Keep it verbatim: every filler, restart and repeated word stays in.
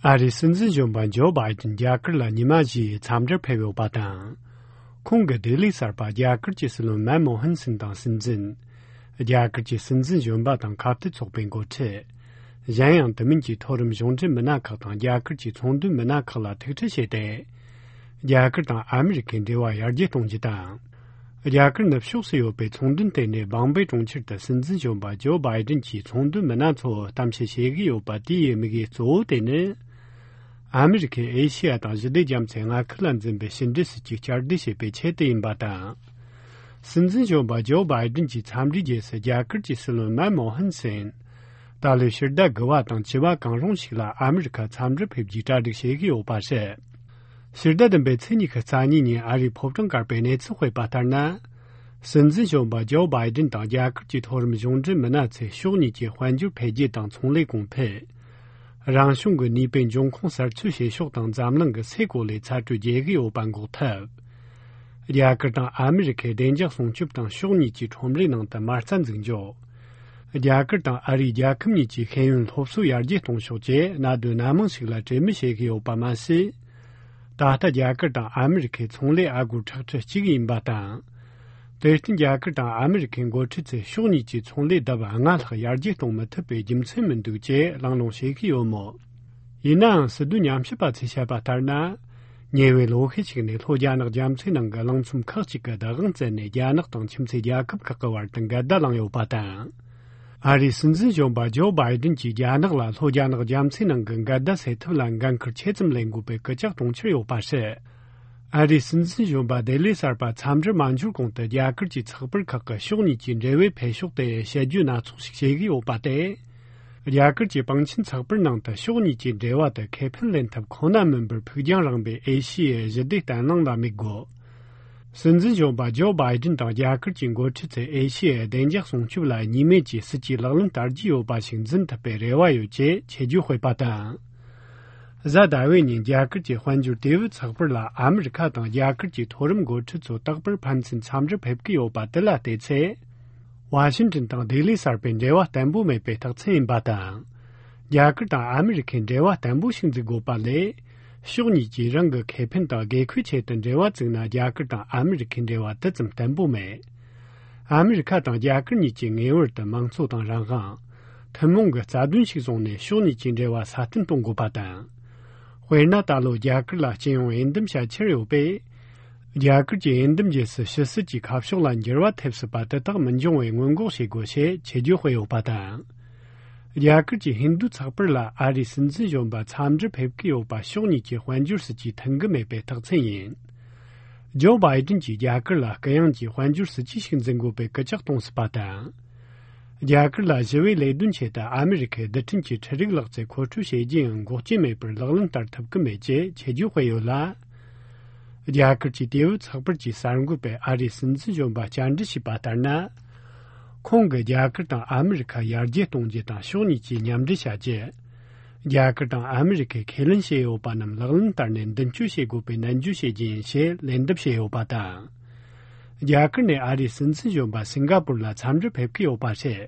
ཨ་རིའི་སྲིད་འཛིན་གཞོན་པ་ཇོ་བྷའི་ཏིན་རྒྱ་གར་ལ་ཉི་མ་བཞིའི་འཚམས་འདྲིར་ཕེབས་ཡོད་པ་དང་། ཁོང་གིས་ལྡི་ལི་གསར་པ་རྒྱ་གར་གྱི་སྲིད་བློན་མན་མོ་ཧན་སིན་དང་སྲིད་འཛིན། རྒྱ་གར་གྱི་སྲིད་འཛིན་གཞོན་པ་དང་ཁ་གཏད་ཚོགས་པའི་འགོ་ཁྲིད། གཞན་ཡང་དེ་མིན་གྱི་མཐོ་རིམ་གཞུང་འབྲེལ་མི་སྣ་ཁག་དང་རྒྱ་གར་གྱི་ཚོང་དོན་མི་སྣ་ཁག་ལ་ཐུག་འཕྲད་བྱས་ཏེ། རྒྱ་གར་དང་ཨ་མི་རི་ཁའི་འབྲེལ་བ་ཡར་རྒྱས་གཏོང་རྒྱུ་དང་། རྒྱ་གར་ནུབ་ཕྱོགས་སུ་ཡོད་པའི་ཚོང་དོན་ལྟེ་གནས་བང་པེ་གྲོང་ཁྱེར་དུ་སྲིད་འཛིན་གཞོན་པ་ཇོ་བྷའི་ཏིན་གྱིས་ཚོང་དོན་མི་སྣ་ཚོར་གཏམ་བཤད་བྱེད་ཀྱི་ཡོད་པ་དེའི་དམིགས་ཡུལ་གཙོ་བོ་དེ་ནི། ཨ་མི་རི་ཁས་ཨེ་ཤི་ཡ་དང་ཞི་བདེ་རྒྱ་མཚོའི་མངའ་ཁུལ་ལ་འཛིན་པའི་ཕྱི་འབྲེལ་སྲིད་ཇུས་བསྐྱར་ཟློས་བྱེད་པའི་ཆེད་དུ་ཡིན་པ་དང་། སྲིད་འཛིན་གཞོན་པ་ཇོ་བྷའི་ཏིན་གྱིས་འཚམས་འདྲིའི་རྗེས་སུ་རྒྱ་གར་གྱི་སྲིད་བློན་མན་མོ་ཧན་སིན། ད་ལོའི་ཕྱི་ཟླ་དགུ་པ་དང་བཅུ་པ་གང་རུང་ཞིག་ལ་ཨ་མི་རི་ཁར་འཚམས་འདྲིར་ཕེབས་རྒྱུའི་གྲ་སྒྲིག་བྱེད་ཀྱི་ཡོད་པ་རེད། ཕྱི་ཟླ་བདུན་པའི་ཚེས་ཉི་ཤུ་རྩ་གཉིས་ཉིན་ཨ་རིའི་ཕོ་བྲང་དཀར་པོའི་གནས་ཚུལ་སྤེལ་བ་ལྟར་ན། སྲིད་འཛིན་གཞོན་པ་ཇོ་བྷའི་ཏིན་དང་རྒྱ་གར་གྱི་མཐོ་རིམ་གཞུང་འབྲེལ་མི་སྣ་ཚོས་ཕྱོགས་གཉིས་ཀྱི་དཔལ་འབྱོར་འཕེལ་རྒྱས་དང་ཚོང་ལས་གོང་འཕེལ། རང་བྱུང་གི་ནུས་པའི་འབྱུང་ཁུངས་གསར་བཅོས་བྱེད་ཕྱོགས་དང་འཛམ་གླིང་གི་སའི་གོ་ལའི་ཚ་དྲོད་རྒྱས་ཀྱི་ཡོད་པ་འགོག་ཐབས། རྒྱ་གར་དང་ཨ་མི་རི་ཁའི་བདེ་འཇགས་སྲུང་སྐྱོབ་དང་ཕྱོགས་གཉིས་ཀྱི་ཁྲོམ་རའི་ནང་དུ་མ་རྩ་འཛུགས་འཇོག་རྒྱ་གར་དང་ཨ་རིའི་རྒྱལ་ཁབ་གཉིས་ཀྱི་ཤེས་ཡོན་སློབ་གསོ་ཡར་རྒྱས་གཏོང་ཕྱོགས་བཅས་གནད་དོན་སྣ་མང་ཞིག་ལ་གྲོས་མོལ་བྱེད་ཀྱི་ཡོད་པ་མ་ཟད། ད་ལྟ་རྒྱ་གར་དང་ཨ་མི་རི་ཁའི་ཚོང་ལས་ཨ་སྒོར་ཁྲག་ཁྲི་གཅིག་ཡིན་པ་དང་། དེར་བརྟེན་རྒྱ་གར་དང་ཨ་མི་རི་ཁའི་འགོ་ཁྲིད་ཚོས་ཕྱོགས་གཉིས་ཀྱི་ཚོང་ལས་ལྡབ་ལྔ་ལྷག་ཡར་རྒྱས་གཏོང་མི་ཐུབ་པའི་རྒྱུ་མཚན་མི་འདུག་ཅེས་གླེང་སློང་བྱེད་ཀྱི་ཡོད་མོད། ཡིན་ནའང་སྲིད་དོན་ཉམས་ཞིབ་པ་ཚོས་བཤད་པ་ལྟར་ན། ཉེ་བའི་ལོ་ཤས་ཤིག་ནས་ལྷོ་རྒྱ་ནག་རྒྱ་མཚོའི་ནང་གི་གླིང་ཚོམ་ཁག་ཅིག་གི་བདག་དབང་བཙན་ནས་རྒྱ་ནག་དང་ཁྱིམ་མཚེས་རྒྱལ་ཁབ་ཁག་གི་བར་དུ་འགལ་ཟླ་བསླངས་ཡོད་པ་དང་། ཨ་རིའི་སྲིད་འཛིན་གཞོན་པ་ཇོ་བྷའི་ཏིན་གྱིས་རྒྱ་ནག་ལ་ལྷོ་རྒྱ་ནག་རྒྱ་མཚོའི་ནང་གི་འགལ་ཟླ་སེལ་ཐབས་ལ་འགན་འཁུར་ཆེ་ཙམ་ལེན་དགོས་པའི་སྐུལ་ལྕག་གཏོང་འཆར་ཡོད་པ་རེད། ཨ་རིའི་སྲིད་འཛིན་གཞོན་པ་ལྡི་ལི་གསར་པ་འཚམས་འདྲིར་མ་འབྱོར་གོང་དུ་རྒྱ་གར་གྱི་ཚགས་པར་ཁག་གིས་ཕྱོགས་གཉིས་ཀྱི་འབྲེལ་བའི་འཕེལ་ཕྱོགས་དེ་དཔྱད་བརྗོད་སྣ་ཚོགས་ཤིག་བྱེད་ཀྱི་ཡོད་པ་སྟེ། རྒྱ་གར་གྱི་པང་ཆེན་ཚགས་པར་ནང་དུ་ཕྱོགས་གཉིས་ཀྱི་འབྲེལ་བ་དེ་ཁེ་ཕན་ལེན་ཐབས་ཁོ་ན་མིན་པར་ཕུགས་རྒྱང་རིང་པོའི་ཨེ་ཤི་ཡའི་ཞི་བདེ་བརྟན་ལྷིང་ལ་དམིགས་དགོས། སྲིད་འཛིན་གཞོན་པ་ཇོ་བྷའི་ཏིན་དང་རྒྱ་གར་གྱི་འགོ་ཁྲིད་ཚོས་ཨེ་ཤི་ཡའི་བདེ་འཇགས་སྲུང་སྐྱོབ་ལ་གཉིས་མེད་ཀྱི་སྲིད་ཇུས་ལག་ལེན་བསྟར་རྒྱུ་ཡོད་པ་ཞིག་འཛིན་ཐུབ་པའི་རེ་བ་ཡོད་ཅེས་ཆེད་བརྗོད་སྤེལ་པ་དང་། གཟའ་ཟླ་བའི་ཉིན་རྒྱ་གར་གྱི་དཔལ་འབྱོར་དེ་བུ་ཚགས་པར་ལ་ཨ་མི་རི་ཁ་དང་རྒྱ་གར་གྱི་མཐོ་རིམ་འགོ་ཁྲིད་ཚོ་རྟག་པར་ཕན་ཚུན་འཚམས་འདྲིར་ཕེབས་ཀྱི་ཡོད་པ་དེ་ལ་བལྟས་ཚེ། ཝ་ཤིང་ཏོན་དང་ལྡི་ལི་གསར་པའི་འབྲེལ་བ་བརྟན་པོ་མེད་པའི་རྟགས་མཚན་ཡིན་པ་དང་། རྒྱ་གར་དང་ཨ་མི་རི་ཁའི་འབྲེལ་བ་བརྟན་པོ་ཞིག་འཛུགས་དགོས་པ་ལས། ཕྱོགས་གཉིས་ཀྱིས་རང་གི་ཁེ་ཕན་དང་དགོས་མཁོའི་ཆེད་དུ་འབྲེལ་བ་བཙུགས་ན་རྒྱ་གར་དང་ཨ་མི་རི་ཁའི་འབྲེལ་བ་དེ་ཙམ་བརྟན་པོ་མེད། ཨ་མི་རི་ཁ་དང་རྒྱ་གར་གཉིས་ཀྱིས་ངེས་པར་དུ་མང་གཙོ་དང་རང་དབང་། ཐུན་མོང་གི་རྩ་དོན་ཞིག་བཟུང་ནས་ཕྱོགས་གཉིས་ཀྱི་འབྲེལ་བ་སྲ་བརྟན་གཏོང་དགོས་པ་དང་། དཔེར་ན་ད་ལོ་རྒྱ་གར་ལ་སྤྱི་ཡོངས་འོས་འདེམས་བྱ་འཆར་ཡོད་པས། རྒྱ་གར་གྱི་འོས་འདེམས་རྗེས་སུ་ཕྱི་སྲིད་ཀྱི་ཁ་ཕྱོགས་ལ་འགྱུར་བ་ཐེབས་སྲིད་པ་དེ་དག་མི་འབྱུང་བའི་སྔོན་འགོག་བྱེད་དགོས་ཞེས་ཆེད་བརྗོད་སྤེལ་ཡོད་པ་དང་། རྒྱ་གར་གྱི་ཧིན་རྡུ་ཚགས་པར་ལ་ཨ་རིའི་སྲིད་འཛིན་གཞོན་པ་འཚམས་འདྲིར་ཕེབས་ཀྱི་ཡོད་པ་ཕྱོགས་གཉིས་ཀྱི་དཔལ་འབྱོར་སྲིད་ཇུས་མཐུན་གྱི་མེད་པའི་རྟགས་མཚན་ཡིན། ཇོ་བྷའི་ཏིན་གྱིས་རྒྱ་གར་ལ་གུ་ཡངས་ཀྱི་དཔལ་འབྱོར་སྲིད་ཇུས་ཤིག་འཛིན་དགོས་པའི་སྐུལ་ལྕག་གཏོང་སྲིད་པ་དང་། རྒྱ་གར་ལ་ཞི་བའི་ལས་དོན་ཆེད་དུ་ཨ་མི་རི་ཁའི་རྡུལ་ཕྲན་གྱི་འཕྲུལ་རིག་ལག་རྩལ་མཁོ་སྤྲོད་བྱེད་རྒྱུ་ཡང་འགོག་རྐྱེན་མེད་པར་ལག་ལེན་བསྟར་ཐུབ་ཀྱི་མེད་ཅེས་ཆེད་བརྗོད་སྤེལ་ཡོད་ལ། རྒྱ་གར་གྱི་ཏེ་བུ་ཚགས་པར་གྱིས་གསར་འགོད་པས་ཨ་རིའི་སྲིད་འཛིན་གཞོན་པ་བཅར་འདྲི་བྱས་པ་ལྟར་ན། ཁོང་གིས་རྒྱ་གར་དང་ཨ་མི་རི་ཁ་ཡར་རྒྱས་གཏོང་རྒྱུ་དང་ཕྱོགས་གཉིས་ཀྱིས་མཉམ་འབྲེལ་བྱ་རྒྱུ། རྒྱ་གར་དང་ཨ་མི་རི་ཁས་ཁས་ལེན་བྱས་ཡོད་པ་རྣམས་ལག་ལེན་བསྟར་ནས་མདུན་སྐྱོད་བྱེད་དགོས་པའི་ནན་བརྗོད་བྱེད་རྒྱུ་ཡིན་ཞེས་ལན་འདེབས་བྱས་ཡོད་པ་དང་། རྒྱ་གར་ནས་ཨ་རིའི་སྲིད་འཛིན་གཞོན་པ་སིང་ག་པུར་ལ་འཚམས་འདྲིར་ཕེབས་ཀྱི་ཡོད་པ་རེད།